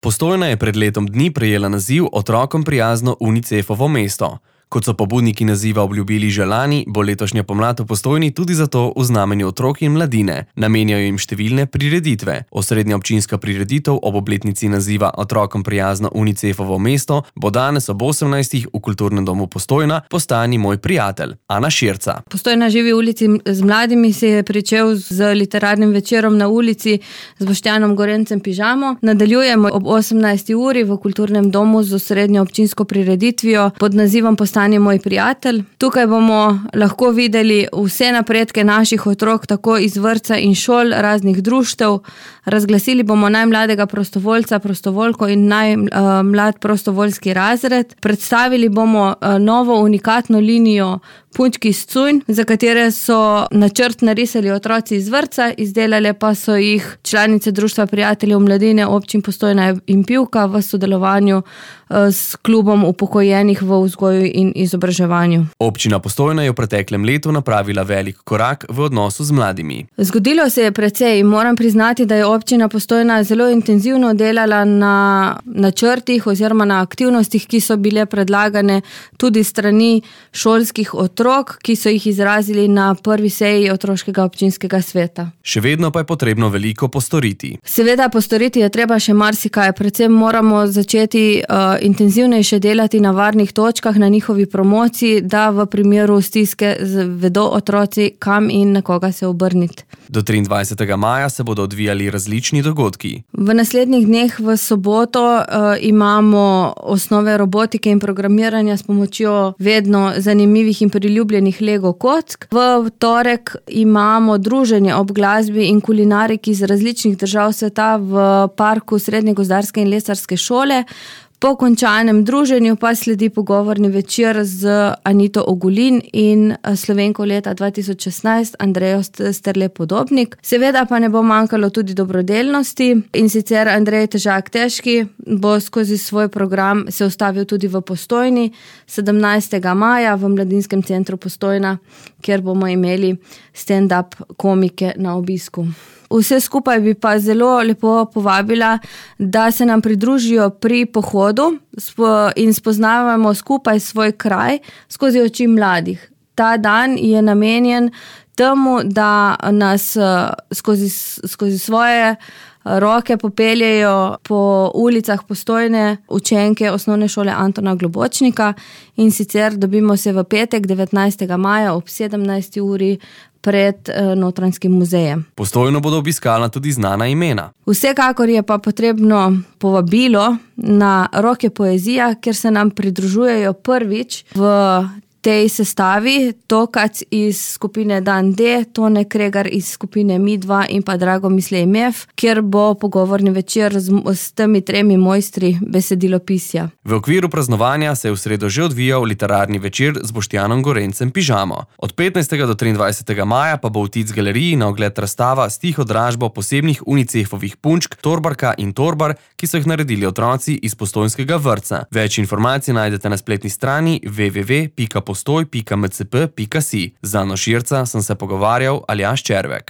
Postojna je pred letom dni prejela naziv Otrokom prijazno UNICEF-ovo mesto. Kot so pobudniki naziva obljubili že lani, bo letošnja pomlad v Postojni tudi zato v znamenju otrok in mladine. Namenjajo jim številne prireditve. Osrednja občinska prireditev ob obletnici naziva Otrokom prijazno UNICEF-ovo mesto bo danes ob 18. v Kulturnem domu Postojna Postani moj prijatelj. Ana Širca. Postojna živi ulici z mladimi se je pričel z literarnim večerom na ulici z Boštjanom Gorencem Pižamo. Nadaljujemo ob 18. uri v Kulturnem domu z osrednjo občinsko prireditvijo pod nazivom Postani moj prijatelj. Tukaj bomo lahko videli vse napredke naših otrok, tako iz vrtca in šol, raznih društev. Razglasili bomo najmladega prostovoljca, prostovoljko in najmlad prostovoljski razred. Predstavili bomo novo unikatno linijo Punčki iz Cujn, za katere so načrt narisali otroci iz vrtca, izdelale pa so jih članice Društva prijateljev mladine občin Postojna in Pivka v sodelovanju s klubom upokojenih v vzgoju in izobraževanju. Občina Postojna je v preteklem letu napravila velik korak v odnosu z mladimi. Zgodilo se je precej in moram priznati, da je občina Postojna zelo intenzivno delala na načrtih oziroma na aktivnostih, ki so bile predlagane tudi strani šolskih otrok, ki so jih izrazili na prvi seji otroškega občinskega sveta. Še vedno pa je potrebno veliko postoriti. Seveda postoriti je treba še marsikaj, predvsem moramo začeti intenzivnejše delati na varnih točkah, na njihovi promociji, da v primeru stiske vedo otroci, kam in na koga se obrniti. Do 23. maja se bodo odvijali različni dogodki. V naslednjih dneh v soboto imamo osnove robotike in programiranja s pomočjo vedno zanimivih in priljubljenih Lego kock. V torek imamo druženje ob glasbi in kulinariki iz različnih držav sveta v parku Srednje gozdarske in lesarske šole. Po končanem druženju pa sledi pogovorni večer z Anito Ogulin in Slovenko leta 2016 Andrejo Sterle Podobnik. Seveda pa ne bo manjkalo tudi dobrodelnosti in sicer Andrej Težak Težki bo skozi svoj program se ustavil tudi v Postojni 17. maja v Mladinskem centru Postojna, kjer bomo imeli stand-up komike na obisku. Vse skupaj bi pa zelo lepo povabila, da se nam pridružijo pri pohodu in spoznavamo skupaj svoj kraj skozi oči mladih. Ta dan je namenjen temu, da nas skozi svoje roke popeljejo po ulicah Postojne učenke osnovne šole Antona Globočnika in sicer dobimo se v petek 19. maja ob 17. uri pred Notranjskim muzejem. Postojno bodo obiskala tudi znana imena. Vsekakor je pa potrebno povabilo na Roke poezija, kjer se nam pridružujejo prvič v tej sestavi Tokac iz skupine Dan D, Tone Kregar iz skupine Mi2 in pa Drago Mislej Mef, kjer bo pogovorni večer s temi tremi mojstri besedilopisja. V okviru praznovanja se je v sredo že odvijal literarni večer z Boštjanom Gorencem Pižamo. Od 15. do 23. maja pa bo v Tic galeriji na ogled razstava s tiho dražbo posebnih UNICEF-ovih punčk Torbarka in Torbar, ki so jih naredili otroci iz postojnskega vrtca. Več informacij najdete na spletni strani www.postoj.mcp.si. Z Ano Širca sem se pogovarjal Aljaž Červek.